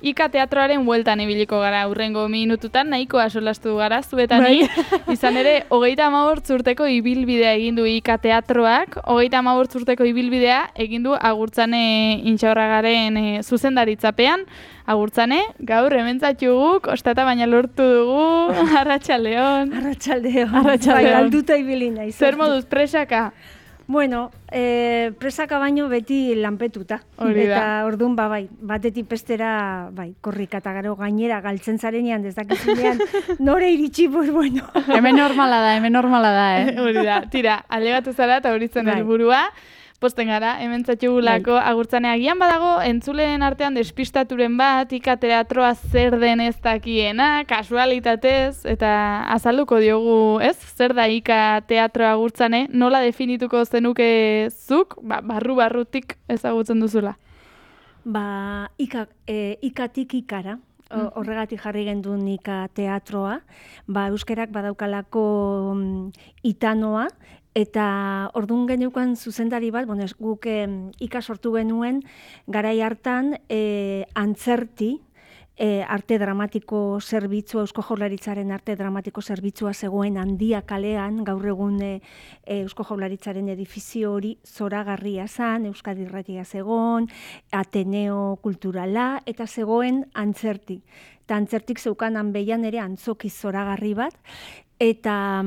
Ika teatroaren bueltan ibiliko gara hurrengo minututan, nahikoa solastu gara zuetani. Izan ere, 35 urteko ibilbidea egin du Ika teatroak, 35 urteko ibilbidea egin du Agurtzane Intxaurragaren zuzendaritzapean. Agurtzane, gaur hementzatxugu, kostata baina lortu dugu, Arratsaldeon. Arratsaldeon. Bai, galduta ibili naiz. Zer moduz, presaka? Bueno, presaka baino beti lanpetuta. Hori da. Eta orduan, bai, batetik bestera, korrika eta gero gainera galtzen zarenean, dezakizunean, nore iritsi, pues bueno. Hemen normala da, Hori da, tira, alegatu zara eta hori zen helburua. Posten gara, hemen zatxugulako Agurtzane. Agian badago, entzuleen artean despistaturen bat, Ika teatroa zer den ez dakiena, kasualitatez, eta azalduko diogu, ez? Zer da Ika teatroa Agurtzane, nola definituko zenuke zuk, barru-barrutik ezagutzen duzula? Ikatik ikara. Horregatik jarri gendun Ika teatroa, euskerak badaukalako itanoa, eta orduan geneukan zuzendari bat, guk Ika sortu genuen, garai hartan antzerti, arte dramatiko zerbitzua, Eusko Jaurlaritzaren arte dramatiko zerbitzua zegoen Handia kalean, gaur egun Eusko Jaurlaritzaren edifizio hori zoragarria zen, Euskadi Irratia zegoen, Ateneo Kulturala, eta zegoen antzerti. Eta antzertik zeukan hanbeian ere antzoki zoragarri bat, eta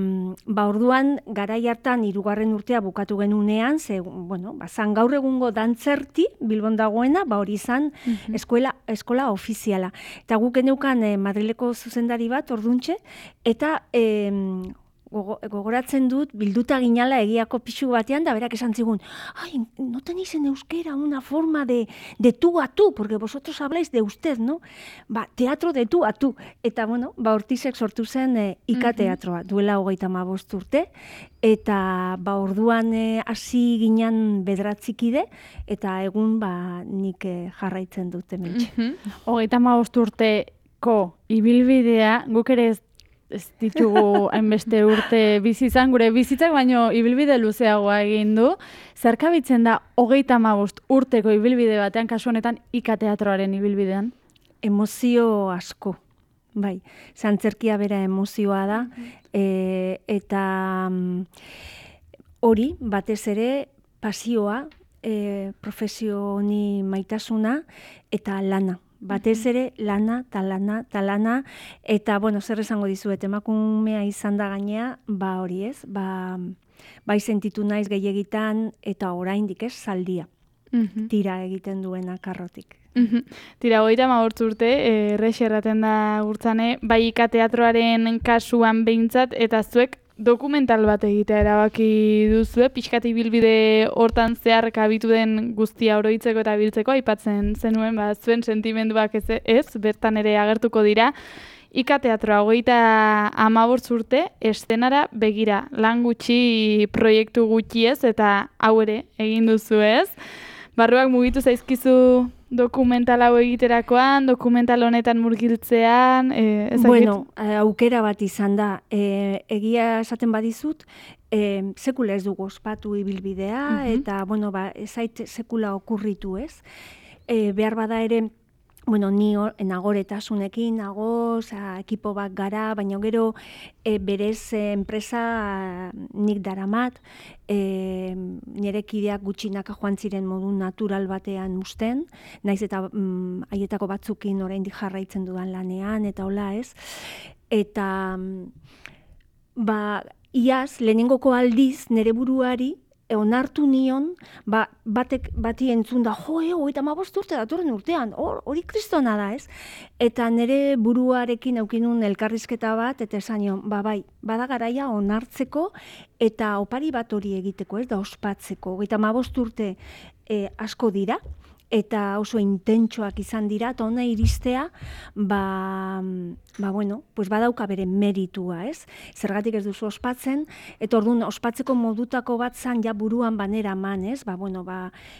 orduan garai hartan 3. urtea bukatu genunean, zan gaur egungo dantzerti Bilbon dagoena, hori izan eskola ofiziala. Eta guk geneukan Madrileko zuzendari bat orduntxe, eta gogoratzen dut, bilduta ginala egiako pixu batean, da berak esan zigun, no tenéis en euskera una forma de tú a tú, porque vosotros habláis de usted, ¿no? Teatro de tú a tú. Eta, hortizek sortu zen Ika teatroa, duela 35 urte, eta orduan hasi ginen 9 eta egun nik jarraitzen dut hementxe. 35 urteko ibilbidea, guk ere ez ditugu hainbeste urte bizi izan, gure bizitzak baino ibilbide luzeagoa egin du. Zerkabitzen da 35 urteko ibilbide batean, kasu honetan Ika teatroaren ibilbidean? Emozio asko, bai. Antzerkia bera emozioa da, eta hori, batez ere, pasioa, profesio honi maitasuna, eta lana. Batez ere, lana, eta, zer esango dizuet, emakumea izan da gainea, hori ez, bai sentitu naiz gehiagitan, eta oraindik ez, zaldia, tira egiten duena karrotik. Tira, 35 urte, errex erraten da Agurtzane, bai Ika teatroaren kasuan behintzat, eta zuek dokumental bat egitea erabaki duzue, pixkat ibilbide hortan zehar kabitu den guztia oroitzeko eta biltzeko, aipatzen zenuen, zuen sentimenduak ez, bertan ere agertuko dira. Ika teatroa 35 urte, estenara begira, lan gutxi, proiektu gutxi ez, eta hau ere egin duzu ez. Barruak mugitu zaizkizu dokumental hau egiterakoan, dokumental honetan murgiltzean, aukera bat izan da. Egia esaten badizut, sekula ez dugu ospatu ibilbidea, eta, ez zait sekula okurritu ez. Behar bada ere, ni nagoretasunekin, ekipo bat gara, baina gero berez enpresa nik daramat, nire kideak gutxinaka joan ziren modu natural batean usten, naiz eta haietako batzukin oraindik jarraitzen dudan lanean, eta hola ez. Eta, iaz, lehenengoko aldiz, nire buruari, onartu nion, bati entzun da, 35 urte datorren urtean, hori kristona da, ez? Eta nire buruarekin aukinun elkarrizketa bat, eta esan nion, bada garaia onartzeko, eta opari bat hori egiteko, ez da ospatzeko. 35 urte asko dira, eta oso intentsoak izan dira, eta hona iristea, badauka bere meritua, ez? Zergatik ez duzu ospatzen, eta orduan ospatzeko modutako bat zan ja buruan banera man, ez?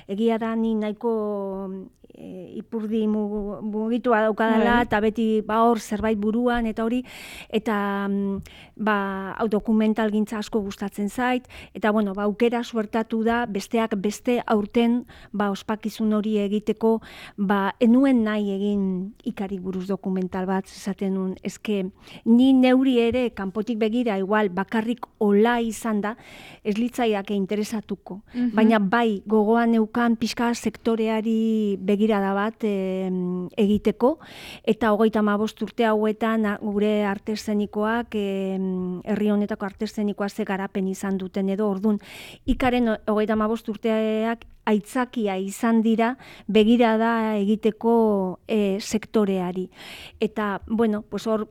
Egia da ni nahiko ipurdi mugitua daukadala, eta beti hor zerbait buruan, eta hori, eta dokumental gintza asko gustatzen zait, eta aukera suertatu da, besteak beste aurten ospakizun hori hori egiteko, enuen nahi egin ikari buruz dokumental bat, esaten nun, eske ni neuri ere kanpotik begira igual bakarrik ola izan da, ez litzaiake interesatuko. Baina bai, gogoan neukan pixka sektoreari begirada bat egiteko, eta 35 urte hauetan gure arte eszenikoak, herri honetako arte eszenikoa ze garapen izan duten edo, ordun ikaren 35 urteak aitzakia izan dira begirada egiteko sektoreari. Eta, bueno, pues hor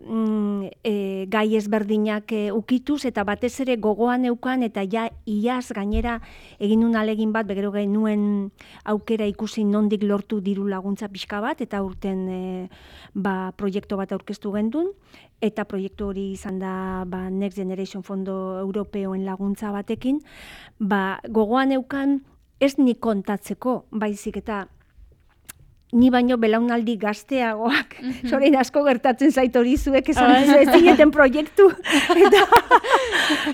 gai ezberdinak ukituz, eta batez ere gogoan eukan, eta ja iaz gainera egin nun alegin bat, begero genuen aukera ikusi nondik lortu diru laguntza pixka bat, eta urten proiektu bat aurkeztu gendun, eta proiektu hori izan da Next Generation Fondo Europeoen laguntza batekin, gogoan eukan ez ni kontatzeko, baizik eta ni baino belaunaldi gazteagoak, sorein asko gertatzen zait hori zuek esan ez zineten proiektu, eta,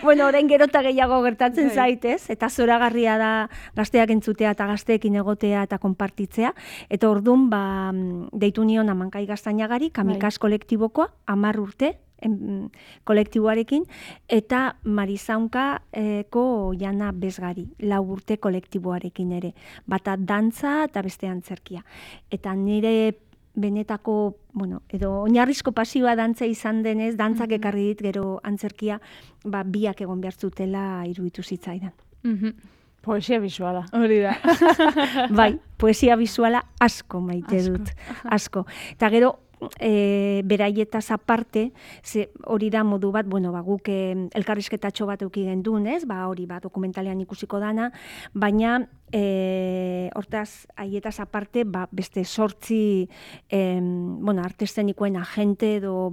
bueno, orain gerota gehiago gertatzen zait, ez? Eta zoragarria da gazteak entzutea eta gazteekin egotea eta konpartitzea, eta orduan, deitu nion Amankai Gaztainagari, Kamikaz kolektibokoa, 10 urte, kolektiboarekin, eta Marizaunkako Jana Bezgari, 4 urte kolektiboarekin ere. Bata dantza eta beste antzerkia. Eta nire benetako, bueno, edo oinarrizko pasioa dantza izan denez, dantzak ekarri dit gero antzerkia, biak egon behar zutela iruditu zitzaidan. Poesia bisuala. Hori da. Bai, poesia bisuala asko maite dut. Asko. Eta gero, beraietaz aparte, hori da modu bat, bueno, guk elkarrizketatxo bat euki gendun, ez? Hori dokumentalean ikusiko dana, baina hortaz, haietaz aparte, beste 8 arte eszenikoen agente edo,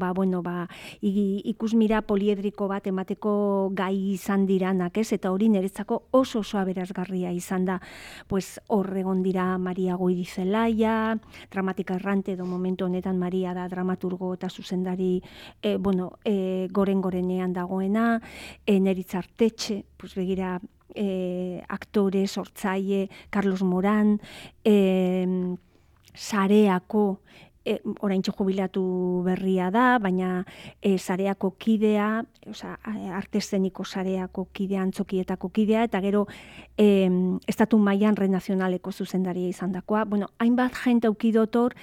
ikusmira poliedriko bat emateko gai izan diranak, ez? Eta hori niretzako oso aberazgarria izan da, pues hor egon dira Maria Goirizelaia, dramatika errante edo momentu honetan Maria da dramaturgo eta zuzendari gorenean dagoena, Neritz Artetxe, pues begira, aktore, sortzaile, Carlos Moran, Sareako, oraintxe jubilatu berria da, baina Sareako kidea, arte eszeniko Sareako kidea, antzokietako kidea, eta gero estatu mailan renazionaleko zuzendaria izan dakoa. Bueno, hainbat jente aukidotor,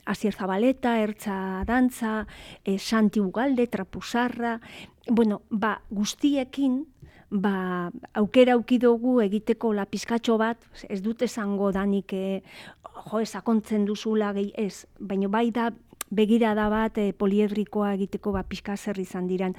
Asier Zabaleta, Ertza Dantza, Santi Ugalde, Trapuzarra, bueno, guztiekin, aukera aukidogu egiteko pizkatxo bat, ez dut esango danik, sakontzen duzula gehi ez, baina bai da begirada bat poliedrikoa egiteko pizka zer izan diran.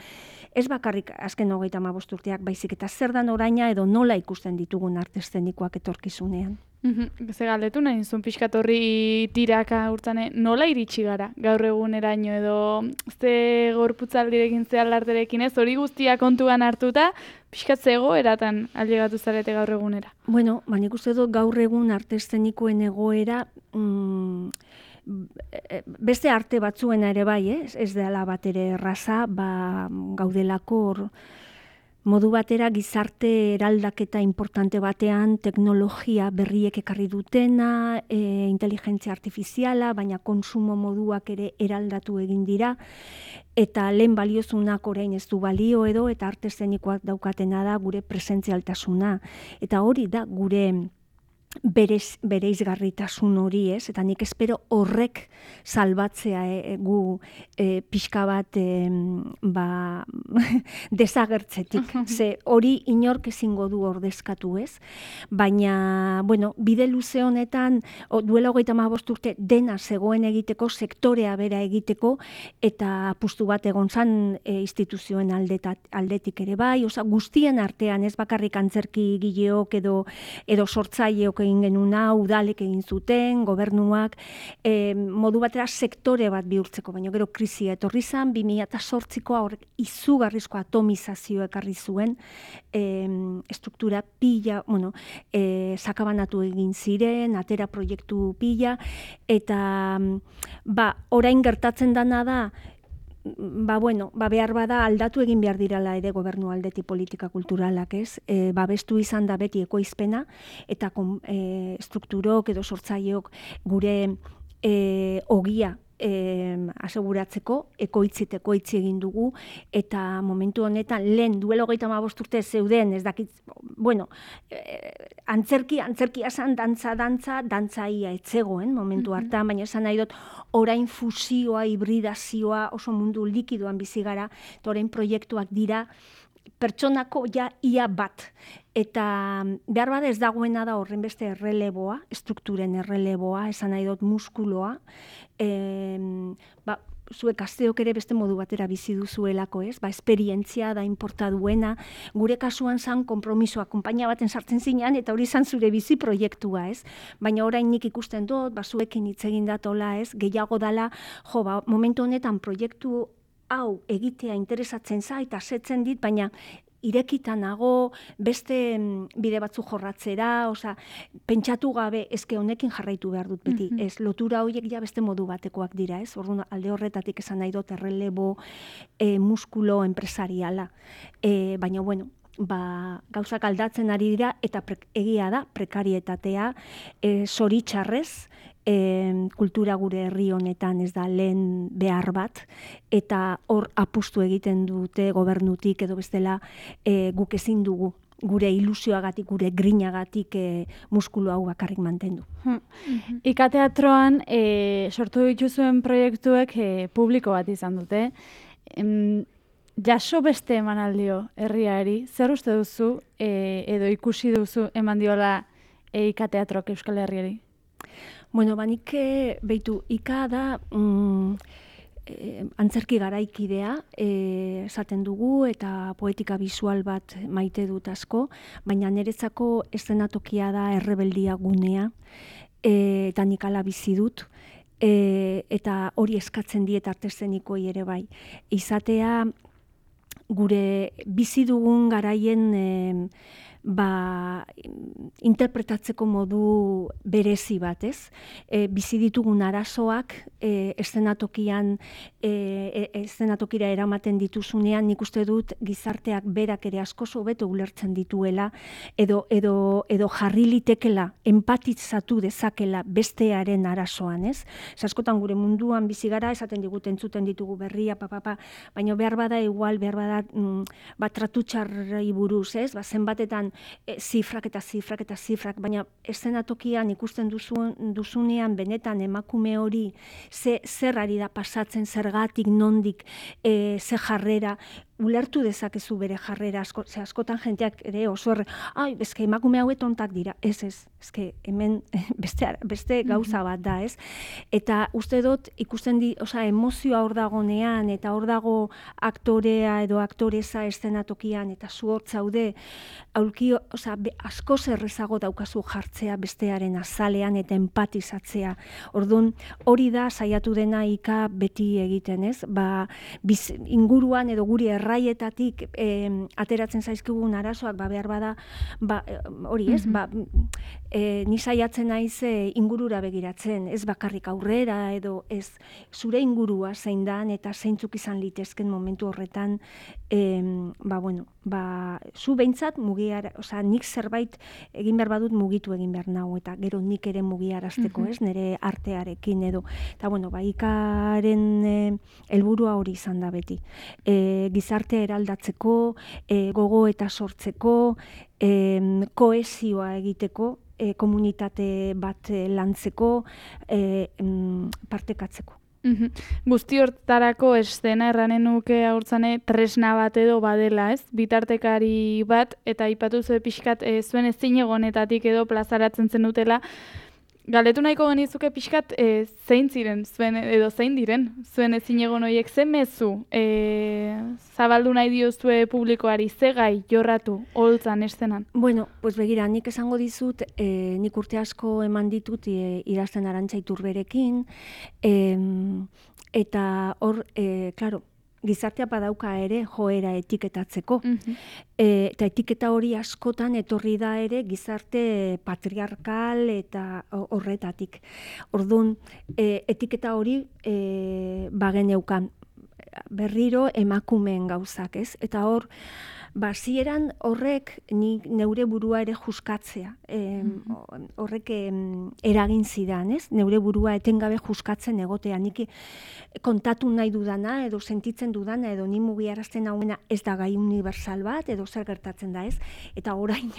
Ez bakarrik azken 35 urteak, baizik eta zer dan oraina edo nola ikusten ditugun arte eszenikoak etorkizunean. Ze galdetu nahi zuen pixkat horri tiraka urtzane, nola iritsi gara gaur eguneraino edo ze gorputzaldirekin ze alarterekin ez, hori guztia kontuan hartuta, pixkat ze egoeratan ailegatu zarete gaur egunera? Bueno, nik uste dut gaur egun arte eszenikoen egoera beste arte batzuena ere bai, ez dela bat ere erraza, gaudelako modu batera gizarte eraldaketa importante batean, teknologia berriek ekarri dutena, inteligentzia artifiziala, baina konsumo moduak ere eraldatu egin dira, eta lehen baliozunak orain ez du balio edo, eta arte eszenikoak daukatena da gure presentzialtasuna. Eta hori da gure bereizgarritasun hori, ez? Eta nik espero horrek salbatzea gu pixka bat desagertzetik. Ze hori inork ezingo du ordezkatu, ez? Baina, bueno, bide luze honetan, duela 35 urte dena zegoen egiteko, sektorea bera egiteko, eta apustu bat egon zan instituzioen aldetik ere bai, guztien artean, ez bakarrik antzerki gileok edo sortzaileok egin genuna, udalek egin zuten, gobernuak, modu batera sektore bat bihurtzeko, baina gero krisia etorri zan, 2008koa horrek izugarrizko atomizazio ekarri zuen, estruktura pila, sakabanatu egin ziren, atera proiektu pila, eta orain gertatzen dana da, behar bada aldatu egin behar dirala ere gobernu aldetik politika kulturalak, ez? Babestu izan da beti ekoizpena, eta strukturok edo sortzaileok gure ogia aseguratzeko, ekoitzi egin dugu, eta momentu honetan, lehen duela 35 urte zeuden, ez dakit, antzerkia zan, dantzaia etzegoen momentu hartan, baina esan nahi dut, orain fusioa, hibridazioa, oso mundu likidoan bizi gara, eta orain proiektuak dira, pertsonako ia bat. Eta behar bada ez dagoena da horren beste erreleboa, strukturen erreleboa, esan nahi dut muskuloa, zuek gazteok ere beste modu batera bizi duzuelako, ez? Esperientzia da inporta duena, gure kasuan zan konpromisoa, konpainia baten sartzen zinean, eta hori zan zure bizi proiektua, ez? Baina orain nik ikusten dut, zuekin hitz egin datola, ez? Gehiago dala, momentu honetan proiektu hau egitea interesatzen zait, asetzen dit, baina irekita nago, beste bide batzu jorratzera, pentsatu gabe, eske honekin jarraitu behar dut beti, ez, lotura horiek ja beste modu batekoak dira, ez, orduan alde horretatik esan nahi dut errelebo muskulo enpresariala, baina gauzak aldatzen ari dira, eta egia da, prekarietatea, zoritxarrez, kultura gure herri honetan ez da lehen behar bat, eta hor apustu egiten dute gobernutik edo bestela guk ezin dugu gure ilusioagatik, gure grinagatik muskulu hau bakarrik mantendu. Ika Teatroan sortu dituzuen proiektuek publiko bat izan dute. Jaso beste emanaldio herriari, zer uste duzu edo ikusi duzu eman diola Ika Teatroak Euskal Herriari? Nik behitu, Ika da antzerki garaikidea esaten dugu eta poetika bisual bat maite dut asko, baina niretzako eszenatokia da errebeldia gunea, eta nik ala bizi dut, eta hori eskatzen diet arte eszenikoei ere bai. Izatea gure bizi dugun garaien interpretatzeko modu berezi bat, ez? Bizi ditugun arazoak eszenatokira eramaten dituzunean, nik uste dut gizarteak berak ere asko hobeto ulertzen dituela, edo jarri litekela, empatizatu dezakela bestearen arazoan, ez? Askotan gure munduan bizi gara, esaten digute entzuten ditugu berria, baina behar bada igual, behar bada tratu txarrei buruz, ez? Zenbatetan zifrak, baina eszenatokian ikusten duzunean benetan emakume hori zer ari da pasatzen, zergatik, nondik, ze jarrera, ulertu dezakezu bere jarrera, askotan jenteak ere oso eske emakume hauet ontak dira, eske hemen beste gauza bat da, ez? Eta uste dut ikusten emozioa hor dagonean, eta hor dago aktorea edo aktoreza eszenatokian, eta zu hor zaude, asko zerrezago daukazu jartzea bestearen azalean eta empatizatzea. Orduan, hori da saiatu dena Ika beti egiten, ez? Inguruan edo guri erraietatik ateratzen zaizkigun arazoak, behar bada, hori ez, ni saiatzen naiz ingurura begiratzen, ez bakarrik aurrera, edo ez zure ingurua zein dan, eta zeintzuk izan litezken momentu horretan, zu behintzat nik zerbait egin behar badut mugitu egin behar nahu, eta gero nik ere mugiarazteko, ez, nire artearekin edo. Eta Ikaren helburua hori izan da beti. Gizartea eraldatzeko, gogo eta sortzeko, kohesioa egiteko, komunitate bat lantzeko, partekatzeko. Guzti hortarako eszena erranen nuke haurtzane tresna bat edo badela, ez? Bitartekari bat, eta aipatu zuen pixkat zuen ezinegonetatik edo plazaratzen zen dutela. Galdetu nahiko genizuke pixkat zein ziren zuen, edo zein diren zuen ezinegon horiek, zen mezu zabaldu nahi diozue publikoari, ze gai jorratu holtzan eszenan? Begira, nik esango dizut, nik urte asko eman ditut idazten Arantxa Iturberekin, eta hor, klaro, gizartea badauka ere joera etiketatzeko. Eta etiketa hori askotan etorri da ere gizarte patriarkal eta horretatik. Orduan, etiketa hori bageneukan. berriro emakumeen gauzak, ez? Eta hor, hasieran horrek neure burua ere juskatzea. Horrek eragin zidan, ez? Neure burua etengabe juskatzen egotea. Nik kontatu nahi dudana, edo sentitzen dudana, edo ni mugiarazten hauena ez da gai universal bat, edo zer gertatzen da, ez? Eta orain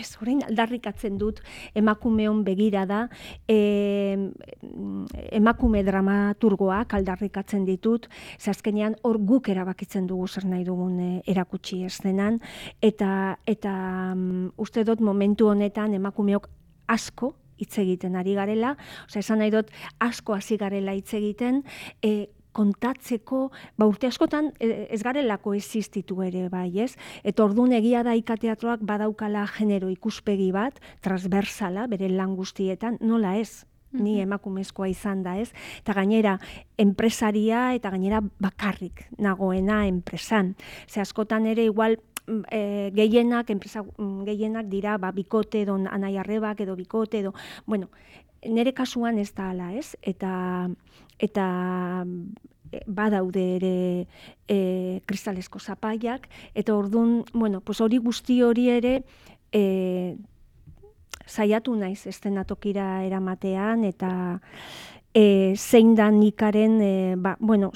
aldarrikatzen dut emakumeon begira da, emakume dramaturgoak aldarrikatzen ditut, ze azkenean hor guk erabakitzen dugu zer nahi dugun erakutsi eszenan, eta uste dut momentu honetan emakumeok asko hitz egiten ari garela, esan nahi dut asko hasi garela hitz egiten, kontatzeko, urte askotan ez garelako existitu ere bai, ez? Eta orduan egia da ikateatroak badaukala genero ikuspegi bat, transversala, bere lan guztietan, nola ez? Ni emakumezkoa izan da, ez? Eta gainera, enpresaria eta gainera bakarrik nagoena enpresan. Ze askotan ere igual enpresa gehienak dira bikote edo anai arrebak edo bikote edo, bueno, nire kasuan ez da ala, ez? Eta badaude ere kristalesko zapaiak, eta orduan, bueno, hori guzti hori ere saiatu naiz eszenatokira eramatean, eta zein da nikaren,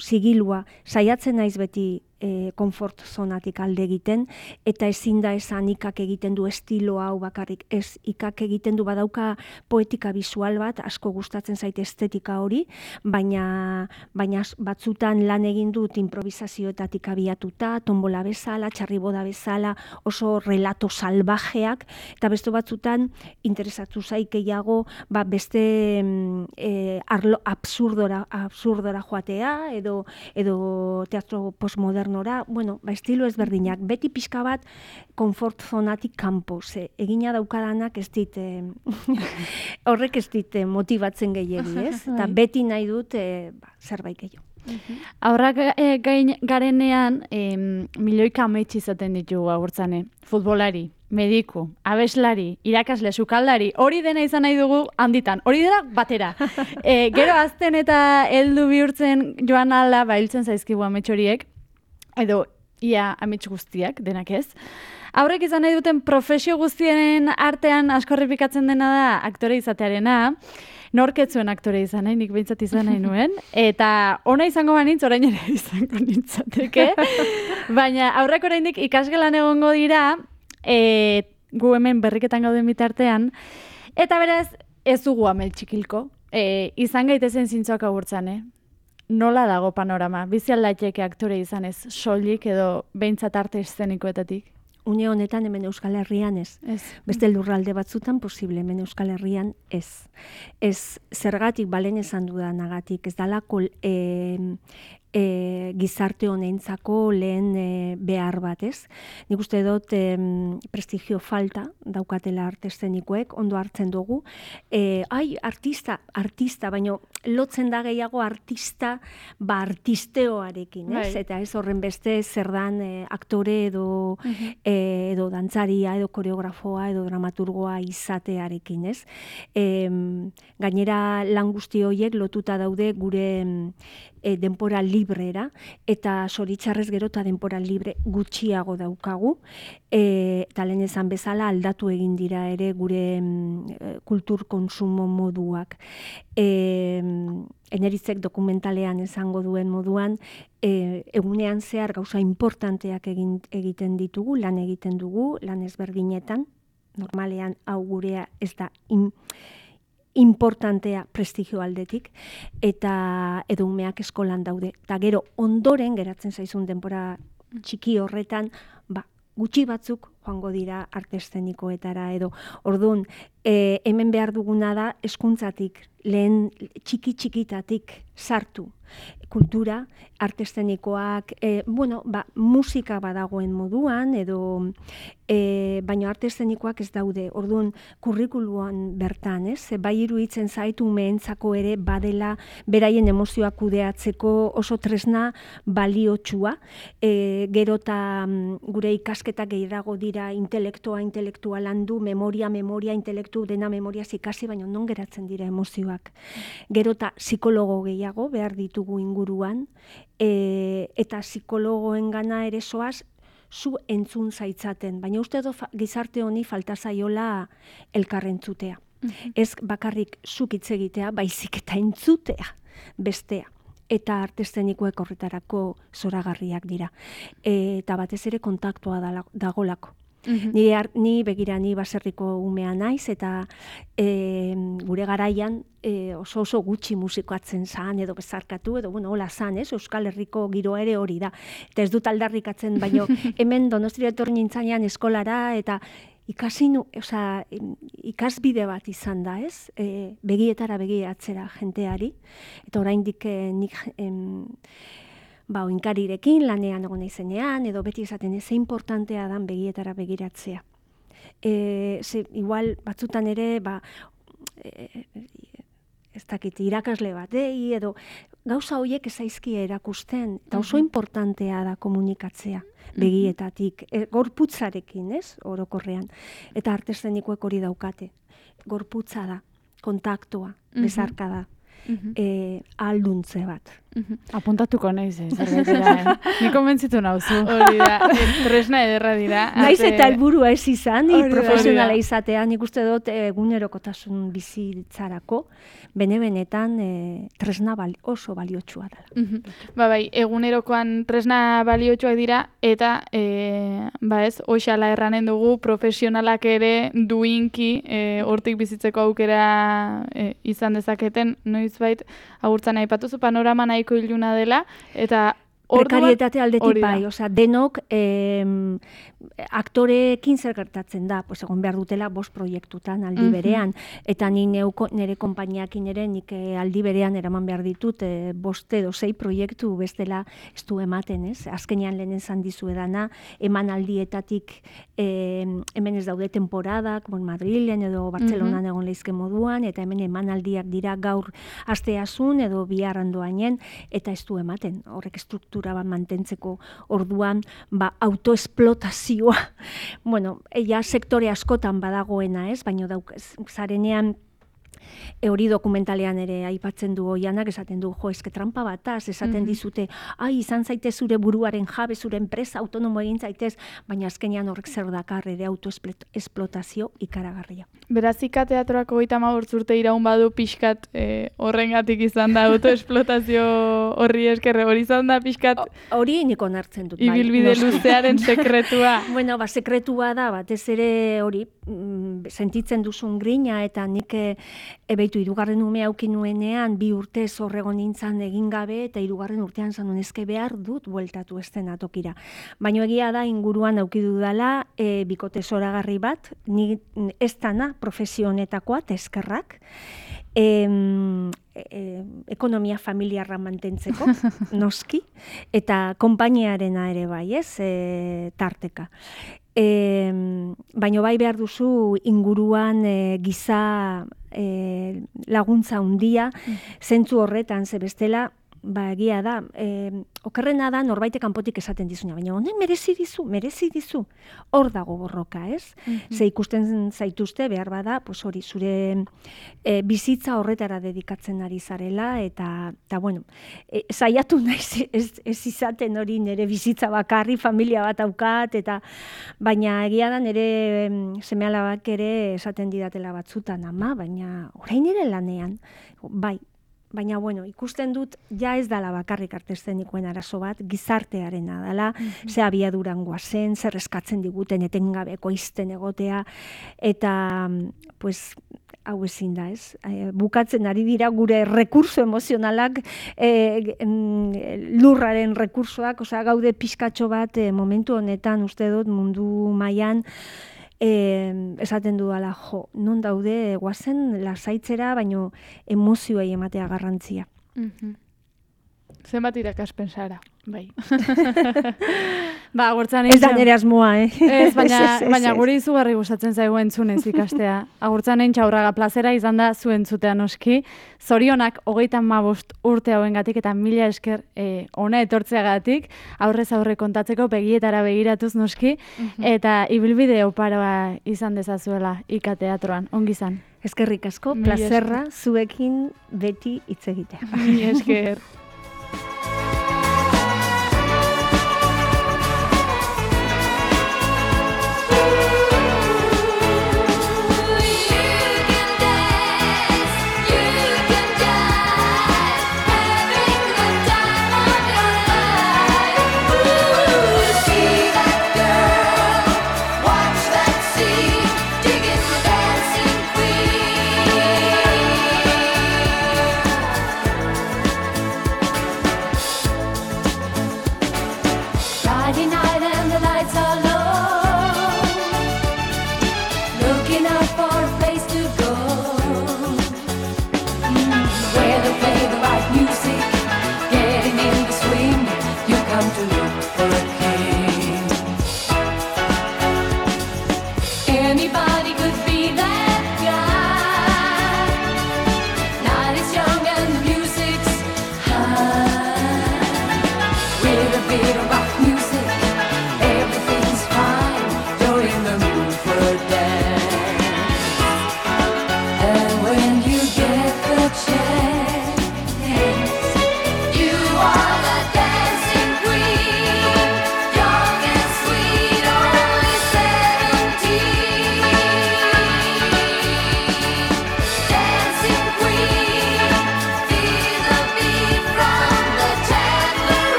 sigilua, saiatzen naiz beti konfort zonatik alde egiten, eta ezin da esan ikak egiten du estilo hau bakarrik, ez ikak egiten du badauka poetika visual bat, asko gustatzen zaite estetika hori, baina batzutan lan egin dut improvisazioetatik abiatuta, tombola bezala, txarriboda bezala, oso relato salvajeak, eta beste batzutan interesatu zaik gehiago beste arlo absurdora joatea, edo teatro postmodernora, estilo ezberdinak, beti pixka bat konfort zonatik kanpo, egina daukadanak ez dit, horrek ez dit motibatzen gehiegi, ez? Eta beti nahi dut zerbait gehiago. Aurrak garenean, milioika ametsi izaten ditugu agurtzane, futbolari, mediku, abeslari, irakasle, sukaldari, hori dena izan nahi dugu handitan, hori dena batera. Gero azten eta heldu bihurtzen joan ala, hiltzen zaizkigu amets horiek, edo ia amets guztiak, denak ez. Aurrek izan nahi duten profesio guztienen artean asko errepikatzen dena da aktore izatearena, norketzuen aktore izan nahi, nik behintzat izan nahi nuen, eta ona izango banintz, orain ere izango nintzateke, baina aurrek oraindik ikasgelan egongo dira, gu hemen berriketan gauden bitartean, eta beraz ez dugu amel txikilko, izan gaitezen zintzoak agurtzan, Nola dago panorama? Bizi aldaiteke aktore izanez, soilik edo behintzat arte eszenikoetatik? Une honetan hemen Euskal Herrian ez. Beste lurralde batzutan posible, hemen Euskal Herrian ez. Ez zergatik balen esan dudanagatik, ez dalako gizarte honentzako lehen behar bat, ez? Nik uste dut prestigio falta daukatela arte eszenikoek, ondo hartzen dugu. Artista, baino lotzen da gehiago artista, artisteoarekin, ez? Eta ez horren beste zer dan aktore edo dantzaria, edo koreografoa, edo dramaturgoa izatearekin, ez? Gainera lan guzti horiek lotuta daude gure denpora librera, eta zoritxarrez gero eta denpora libre gutxiago daukagu, eta lehen esan bezala aldatu egin dira ere gure kultur konsumo moduak. Eneritzek dokumentalean esango duen moduan, egunean zehar gauza importanteak egiten ditugu, lan egiten dugu, lan ezberdinetan, normalean hau gurea ez da importantea prestigio aldetik, eta edo umeak eskolan daude. Eta gero ondoren geratzen zaizun denbora txiki horretan, gutxi batzuk joango dira arte eszenikoetara, edo orduan hemen behar duguna da hezkuntzatik, lehen txikitatik sartu kultura, arte eszenikoak, musika badagoen moduan, edo baina arte eszenikoak ez daude, orduan kurrikuluan bertan, ez? Bai iruditzen zaitu umeentzako ere badela beraien emozioak kudeatzeko oso tresna baliotsua, gero eta gure ikasketak gehiago dira dira intelektua landu, memoria, intelektu, dena memoriaz ikasi, baina non geratzen dira emozioak. Gero eta psikologo gehiago behar ditugu inguruan, eta psikologoen gana ere soaz, zu entzun zaitzaten, baina uste edo gizarte honi falta zaiola elkarrentzutea. Ez bakarrik zuk hitz egitea, baizik eta entzutea bestea. Eta arte eszenikoek horretarako zoragarriak dira. Eta batez ere kontaktua dagolako. Ni baserriko umea naiz, eta gure garaian oso gutxi musikoatzen zan, edo bezarkatu, edo hola zan, Euskal Herriko giroa ere hori da. Eta ez dut aldarrikatzen, baino hemen Donostiara etorri nintzanean eskolara, eta ikasbide bat izan da, ez? Begietara begiratzera jenteari, eta oraindik nik oinkarirekin lanean egon naizenean, edo beti esaten ze importantea dan begietara begiratzea. Igual batzutan ere, ez dakit, irakasle batei, edo gauza horiek ezaizkia erakusten, eta oso importantea da komunikatzea begietatik, gorputzarekin, ez, orokorrean. Eta arte eszenikoek hori daukate. Gorputza da, kontaktua, bezarka da, alduntze bat. Apuntatuko naiz, zergaitera. Ni konbentzitu nauzu. Hori da, tresna ederra dira. Naiz eta helburua ez izan, ni profesionala izatea, nik uste dut egunerokotasun bizitzarako, benetan tresna oso baliotsua dela. Bai, egunerokoan tresna baliotsuak dira, eta hoxala erranen dugu profesionalak ere duinki hortik bizitzeko aukera izan dezaketen, noizbait agurtzan aipatuzu panorama nahiko iluna dela, eta prekarietate aldetik bai, denok aktoreekin zer gertatzen da, egon behar dutela 5 proiektutan aldi berean, eta nire konpainiakin ere nik aldi berean eraman behar ditut 5 edo 6 proiektu bestela ez du ematen, ez? Azkenean lehen esan dizuedana, eman aldietatik hemen ez daude temporadak, Madrilen edo Bartzelonan egon leizke moduan, eta hemen eman aldiak dira gaur asteazun edo biharrandoainen, eta ez du ematen, horrek struktura bat mantentzeko orduan, autoesplotazioa, sektore askotan badagoena, ez, baina zarenean hori dokumentalean ere aipatzen du Oianak, esaten du, eske trampa bataz, esaten dizute, izan zaitez zure buruaren jabe, zure enpresa autonomo egin zaitez, baina azkenean horrek zer dakar ere autoesplotazio ikaragarria. Beraz, Ika Teatroako 35 urte iraun badu pixkat horrengatik izan da autoesplotazio horri eskerre, hori izan da pixkat... Hori niko onartzen dut, bai. Ibilbide luzearen sekretua. Sekretua da, batez ere hori, sentitzen duzun grina, eta nik ebeitu 3. ume auki nuenean 2 urtez horregon nintzan egin gabe, eta 3. urtean zanun ezke behar dut bueltatu eszenatokira. Baina egia da inguruan auki dudala bikote zoragarri bat, ni ez dana profesio honetakoa, eskerrak, ekonomia familiarra mantentzeko, noski, eta konpainiarena ere bai, ez, tarteka. Baina bai behar duzu inguruan giza laguntza handia, zentzu horretan, ze bestela, egia da, okerrena da norbaitek kanpotik esaten dizuna, baina honek merezi dizu, hor dago borroka, ez? Ze ikusten zaituzte, behar bada, hori, zure bizitza horretara dedikatzen ari zarela, eta saiatu naiz ez izaten hori nire bizitza bakarri, familia bat aukat, baina egia da nire seme-alabak ere esaten didatela batzutan, ama, baina orain nire lanean, bai, baina, ikusten dut, ja ez dala bakarrik arte eszenikoen arazo bat, gizartearena dala, ze abiaduran goazen, zer eskatzen diguten etengabeko izten egotea, eta, hau ezin da, ez? Bukatzen ari dira gure rekurso emozionalak, lurraren rekursoak, gaude pixkatxo bat momentu honetan, uste dut mundu mailan, esaten dudala, non daude guazen lasaitzera, baino emozioei ematea garrantzia. Zenbat irakaspen zara, bai. Ba, agurtzan Ez da nire asmoa, Ez, baina guri izugarri gustatzen zaigu entzunez ikastea. Agurtzan Aurraga plazera izan da zu entzutea noski. Zorionak 35 urte hauengatik eta mila esker ona etortzeagatik, aurrez aurre kontatzeko begietara begiratuz noski, eta ibilbide oparoa izan dezazuela ikateatroan. Ongi izan. Eskerrik asko, plazerra zuekin beti hitz egitea. Mila esker.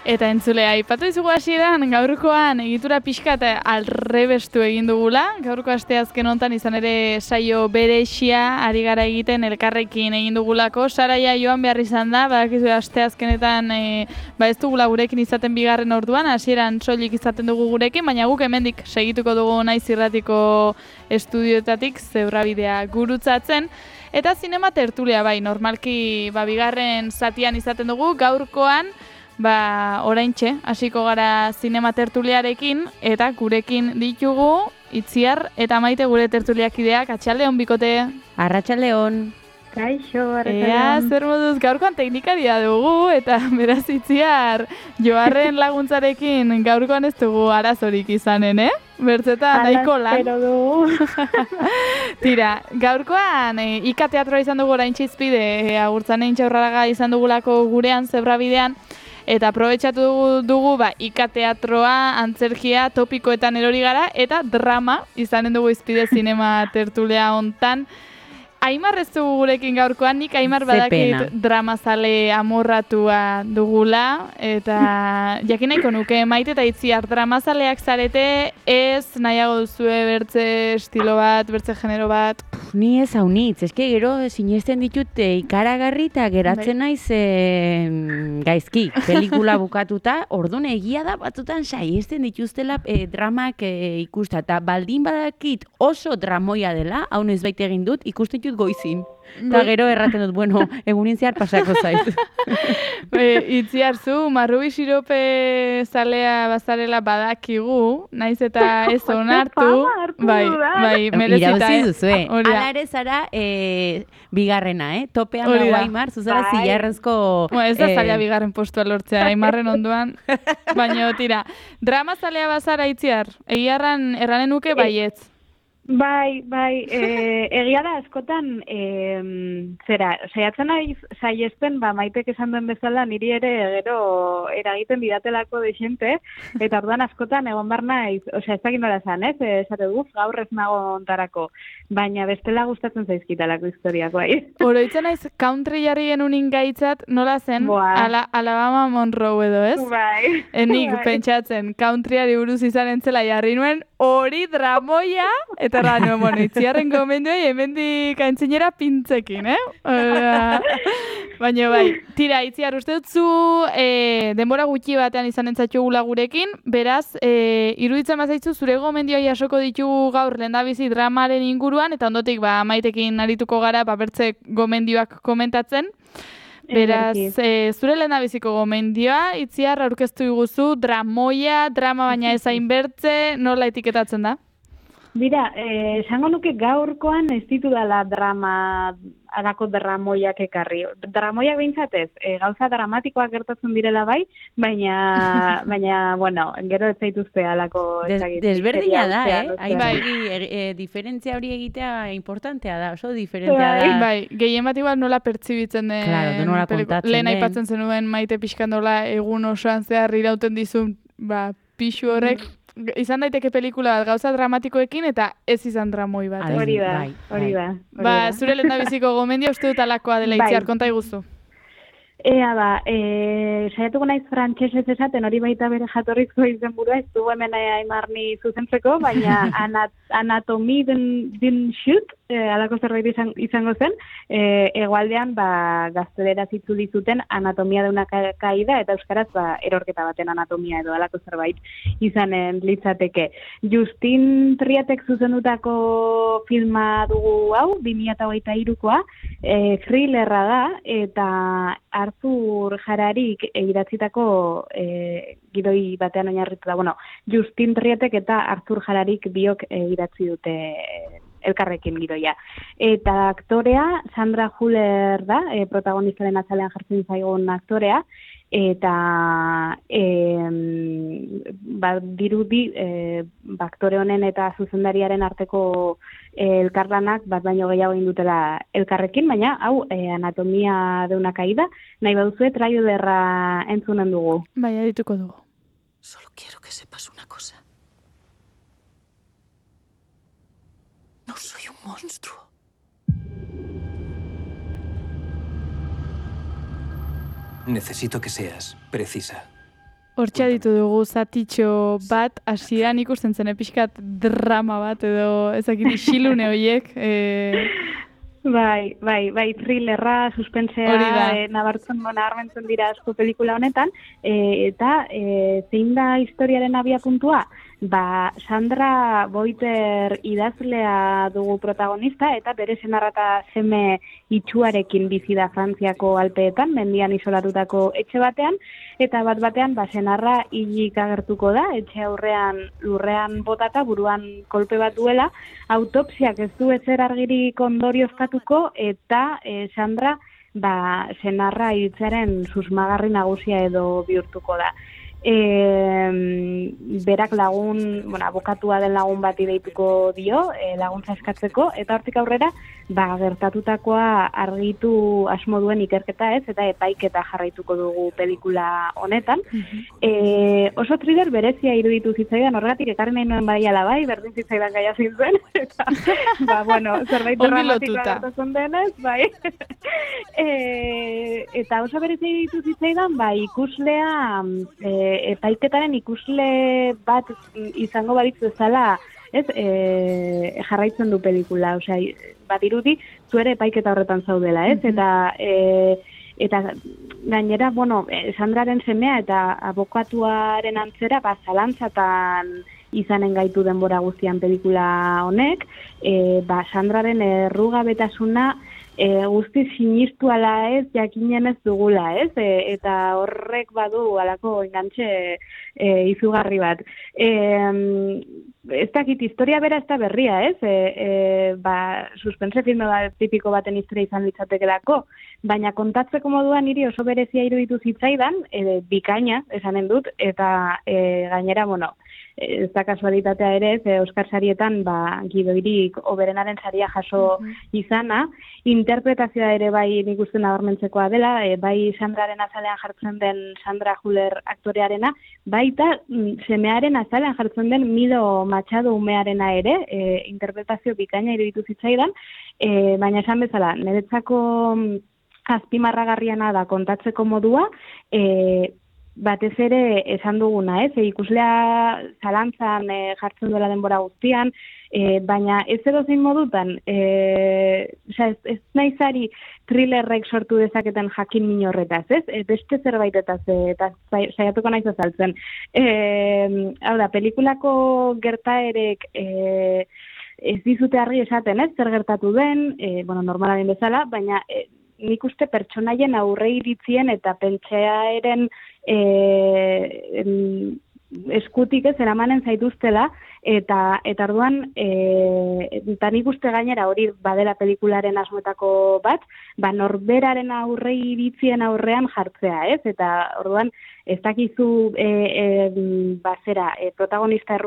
Eta entzulea, aipatu izugu hasieran gaurkoan egitura pixka eta alrebestu egin dugula. Gaurko asteazken hontan izan ere saio berexia ari gara egiten elkarrekin egin dugulako. Saraia joan behar izan da, badakizu asteazkenetan ez dugula gurekin izaten bigarren orduan, hasieran soilik izaten dugu gurekin, baina guk hemendik segituko dugu Naiz Irratiko estudioetatik Zebrabidea gurutzatzen. Eta zinema tertulia bai, normalki bigarren zatian izaten dugu, gaurkoan oraintxe, hasiko gara zinema tertuliarekin, eta gurekin ditugu Itziar eta Maite gure tertuliakideak. Atxaldeon bikote. Arratsaldeon. Kaixo, Ea, zer moduz, gaurkoan teknikaria dugu, eta beraz Itziar, Joarren laguntzarekin gaurkoan ez dugu arazorik izanen, Bertzetan nahiko lan. Espero dugu. Tira, gaurkoan ikateatroa izan dugu oraintxe izpide, Agurtzan Aurraga izan dugulako gurean Zebrabidean, eta aprobetxatu dugu ikateatroa, antzerkia, topikoetan erori gara, eta drama izanen dugu izpide zinema tertulea hontan. Aimar ez dugu gurekin gaurkoan, nik Aimar badakit dramazale amorratua dugula, eta jakin nahiko nuke Maite eta Itziar dramazaleak zarete, ez nahiago duzue bertze estilo bat, bertze genero bat? Ni ez haunitz, eske gero sinesten ditut ikaragarri eta geratzen naiz gaizki, pelikula bukatuta, orduan egia da batzutan saiesten dituztela dramak ikusta, eta baldin badakit oso dramoia dela, hau ez baita egin dut, ikusten ditut goizin. Eta gero erraten dut, bueno, egunin zehar pasako zait. Itziar zu, Marrubi sirope zalea bazarela badakigu, naiz eta ez onartu. Bai, merezita. Irauzi duzue. Hala ere zara bigarrena, topean dago Aimar, zuzara zilarrezko... Ez da zaila bigarren postua lortzea, Aimarren onduan. Baina, tira, drama zalea bazara Itziar, egiarran erranen nuke baietz. Bai, egia da askotan, saiatzen naiz saiesten, Maitek esan duen bezala, niri ere gero eragiten didatelako dexente, eta orduan askotan egon bar naiz, ez dakit nola esan, esate dut, gaur ez nago ontarako, baina bestela gustatzen zaizkitalako historiak, bai. Oroitzen naiz country jarri genunin gaitzat, nola zen, Alabama Monroe edo, ez? Bai. Enik pentsatzen, countryari buruz izan entzela jarri nuen, hori dramoia, eta nuen, bueno, itziarren gomenduei hemendik aintzinera pintzekin, Baina bai, tira, itziar, uste dutzu denbora gutxi batean izan entzatxogula gurekin, beraz, iruditzen bazaitzu zure gomendioa jasoko ditugu gaur lehendabizi dramaren inguruan, eta ondotik, Maitekin arituko gara, bertze gomendioak komentatzen. Beraz, zure lehendabiziko gomendioa, itziar, aurkeztu iguzu, dramoia, drama baina ezain bertze, nola etiketatzen da? Bira, esango nuke gaurkoan ez ditudala alako dramoiak ekarri. Dramoiak behintzatez, gauza dramatikoak gertatzen direla bai, baina, bueno, gero ez zaituzte alako... Desberdina da, diferentzia hori egitea importantea da, oso diferentea da. Bai, gehien bat igual nola pertsibitzen den... Claro, nola kontatzen den. Lehen aipatzen zenuen Maite pixkandola egun osoan zehar irauten dizun, pixu horrek, izan daiteke pelikula bat gauza dramatikoekin eta ez izan dramoi bat. Hori da. Zure lehendabiziko gomendia uste dut alakoa dela itziar, konta iguzu. Saiatuko naiz frantsesez esaten, hori baita bere jatorrizko izenburua, ez du hemen Aimarni zuzentzeko, baina anatomi den shoot, alako zerbait izango zen, hegoaldean gazteleraz itzuli zuten anatomia de una caída, eta euskaraz erorketa baten anatomia edo alako zerbait izanen litzateke. Justin Triatek zuzendutako filma dugu hau, 2023koa, thrillerra da, eta Arthur Hararik idatzitako gidoi batean oinarrituta. Justin Triatek eta Arthur Hararik biok idatzi dute elkarrekin gidoia. Eta aktorea, Sandra Hüller da, protagonistaren azalean jartzen zaigun aktorea, eta dirudi aktore honen eta zuzendariaren arteko elkarlanak bat baino gehiago egin dutela elkarrekin, baina hau anatomia de una caída, nahi baduzue trailerra entzunen dugu. Bai, adituko dugu. Solo quiero que sepas una cosa. No soy un monstruo. Necesito que seas precisa. Hortxe aditu dugu zatitxo bat, hasieran ikusten zen pixkat drama bat edo ezakit isilune horiek. Bai, thrillerra, suspensea, nabarmentzen dira asko pelikula honetan, eta zein da historiaren abiapuntua? Sandra Boiter idazlea dugu protagonista, eta bere senarra eta seme itxuarekin bizi da Frantziako Alpeetan, mendian isolatutako etxe batean, eta batean senarra hilik agertuko da, etxe aurrean lurrean botata, buruan kolpe bat duela, autopsiak ez du ezer argirik ondorioztatuko, eta Sandra senarra hiltzearen susmagarri nagusia edo bihurtuko da. Berak abokatua den lagun bati deituko dio, laguntza eskatzeko, eta hortik aurrera, gertatutakoa argitu asmo duen ikerketa ez, eta epaiketa jarraituko dugu pelikula honetan. Oso thriller berezia iruditu zitzaidan, horregatik ekarri nahi nuen bai ala bai, berdin zitzaidan gaia zintzen, eta, zerbait dramatikoa gertatzen denez, bai. Eta oso berezia iruditu zitzaidan, ikuslea, epaiketaren ikusle bat izango balitz bezala, jarraitzen du pelikula, badirudi zuere epaiketa horretan zaudela, ez? Eta gainera, Sandraren semea eta abokatuaren antzera, zalantzatan izanen gaitu denbora guztian pelikula honek, Sandraren errugabetasuna guzti sinistu ala ez, jakinen ez dugula, ez? Eta horrek badu alako engantxe izugarri bat. Ez dakit, historia bera ez da berria, ez? Suspense filme tipiko baten historia izan litzatekelako, baina kontatzeko moduan niri oso berezia iruditu zitzaidan, bikaina, esanen dut, eta gainera, ez da kasualitatea ere, Oscar sarietan gidoirik hoberenaren saria jaso izana, interpretazioa ere bai nik uste nabarmentzekoa dela, bai Sandraren azalean jartzen den Sandra Hüller aktorearena, baita semearen azalean jartzen den Mido Machado umearena ere, interpretazio bikaina iruditu zitzaidan, baina esan bezala, niretzako azpimarragarriana da kontatzeko modua, batez ere esan duguna, ikuslea zalantzan jartzen duela denbora guztian, baina ez edozein modutan, ez naizari thrillerrek sortu dezaketen jakin min horretaz, beste zerbaitetaz, eta saiatuko naiz azaltzen. Hau da, pelikulako gertaerek ez dizute argi esaten, zer gertatu den, normalaren bezala, baina nik uste pertsonaien aurre iritzien eta pentsaeren eskutik ez eramanen zaituztela, eta orduan, eta nik uste gainera hori badela pelikularen asmoetako bat, norberaren aurre iritzien aurrean jartzea, ez? Eta orduan, ez dakizu protagonista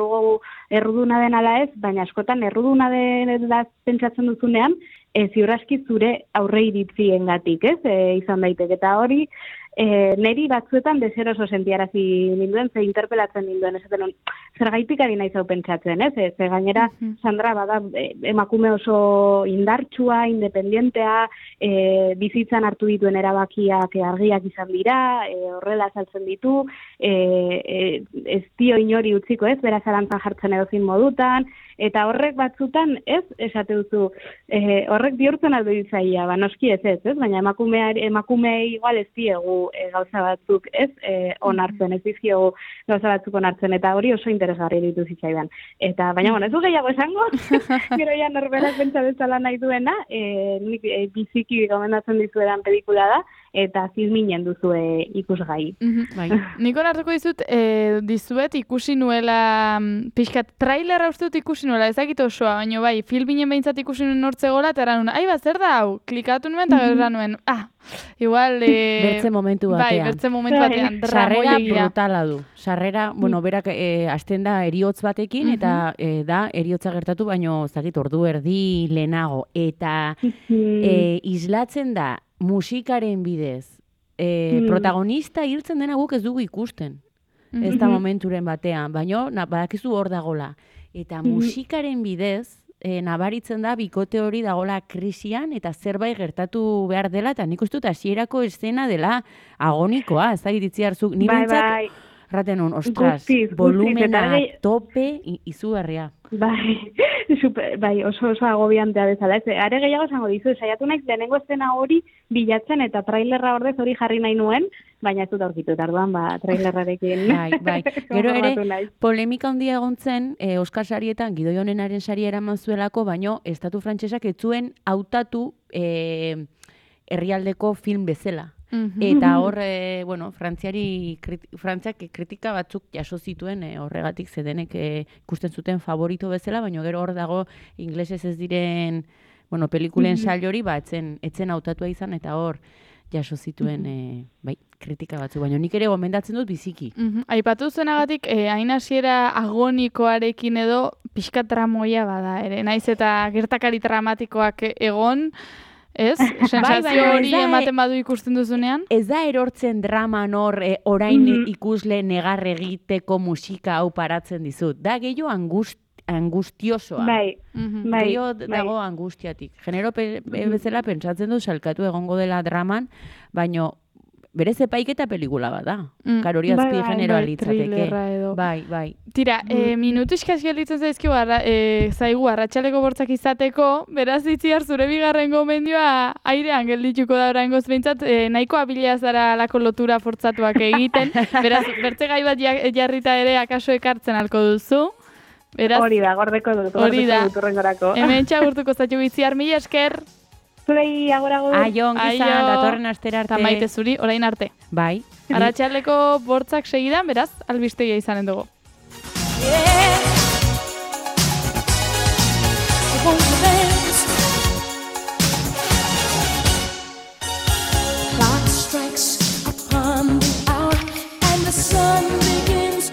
erruduna den ala ez, baina askotan erruduna dela pentsatzen duzunean, ziur aski zure aurre iritziengatik, ez? Izan daiteke, eta hori, neri batzuetan deseroso sentiarazi ninduen, ze interpelatzen ninduen, esaten zergaitik ari naiz hau pentsatzen, ez? Ze gainera, Sandra bada emakume oso indartsua, independentea, bizitzan hartu dituen erabakiak argiak izan dira, horrela azaltzen ditu, ez dio inori utziko, ez? Bera zalantzan jartzen edozin modutan, eta horrek batzutan, ez? Esate duzu, horrek bihurtzen aldo ditzaia, noski ez, baina emakume igual ez diegu gauza batzuk, ez? Onartzen, ez dizkiogu gauza batzuk onartzen, eta hori oso interesgarri ditu zitzaidan. Eta, baina, ez du gehiago esango, gero ja norberak pentsa bezala nahi duena, biziki gomendatzen dizuedan pelikula da, eta zizminen duzue ikusgai. Niko nartuko dizuet ikusi nuela, pixkat, trailerra uste dut ikusi nuela, ezakit osoa, baina bai, filminen behintzat ikusi nuen nortzegola, eta eran nuen, zer da hau, klikatu nuen, eta gero nuen, igual... Bertze momentu batean. Bai, bertze momentu batean. Sarrera brutala du. Sarrera, berak hasten da eriotz batekin, eta da eriotza gertatu, baino zakit ordu erdi lehenago. Eta islatzen da musikaren bidez. Protagonista hiltzen dena guk ez dugu ikusten. Ez da momenturen batean, baino badakizu hor dagola. Eta musikaren bidez, nabaritzen da bikote hori dagola krisian eta zerbait gertatu behar dela, eta nik uste dut hasierako eszena dela agonikoa, ez da iritzi hartzuk. Ni bintzat, raten hon, ostras, volumena, tope, izugarria. Bai, oso agobiantea bezala. Are gehiago esango dizu, saiatu naiz lehenengo eszena hori bilatzen eta trailerra ordez hori jarri nahi nuen, baina ez dut aurkitu, tarduan, trailerrarekin. Bai. Gero ere, polemika handia egon zen, Oscar sarietan, Gidoi Onenaren saria eraman zuelako, baino, estatu frantsesak ez zuen hautatu herrialdeko film bezala. Eta hor, Frantziak kritika batzuk jaso zituen horregatik zedenek ikusten zuten favorito bezala, baina gero hor dago inglesez ez diren pelikulen sail hori, etzen hautatua izan, eta hor jaso zituen kritika batzuk, baina nik ere gomendatzen dut biziki. Aipatu zuenagatik, hain hasiera agonikoarekin edo pixka tramoia bada ere, naiz eta gertakari dramatikoak egon, ez? Sensazio hori ematen badu ikusten duzunean? Ez da erortzen draman hor orain ikusle negar egiteko musika hau paratzen dizut. Da gehiago angustiosoa. Gehiago dago angustiatik. Genero bezala pentsatzen du salkatu egongo dela draman, baino berez epaiketa pelikula bat da. Hori azpi generoa litzateke. Bai. Tira, minutu eskaz gelditzen zaigu arratsaleko bortzak izateko, beraz itziar zure bigarren gomendioa airean geldituko da oraingoz behintzat, nahiko abila zara lako lotura fortzatuak egiten, beraz, bertze gai bat jarrita ere akaso ekartzen alko duzu. Hori da, gordeko dut urrengorako. Hemen txagurtuko zaitu itziar, mila esker. Zurei, agur. Aio, ongizan, datorren astera arte. Ta maite zuri, orain arte. Bai. Arratsaleko bortzak segidan, beraz, albistegia izanen dugu.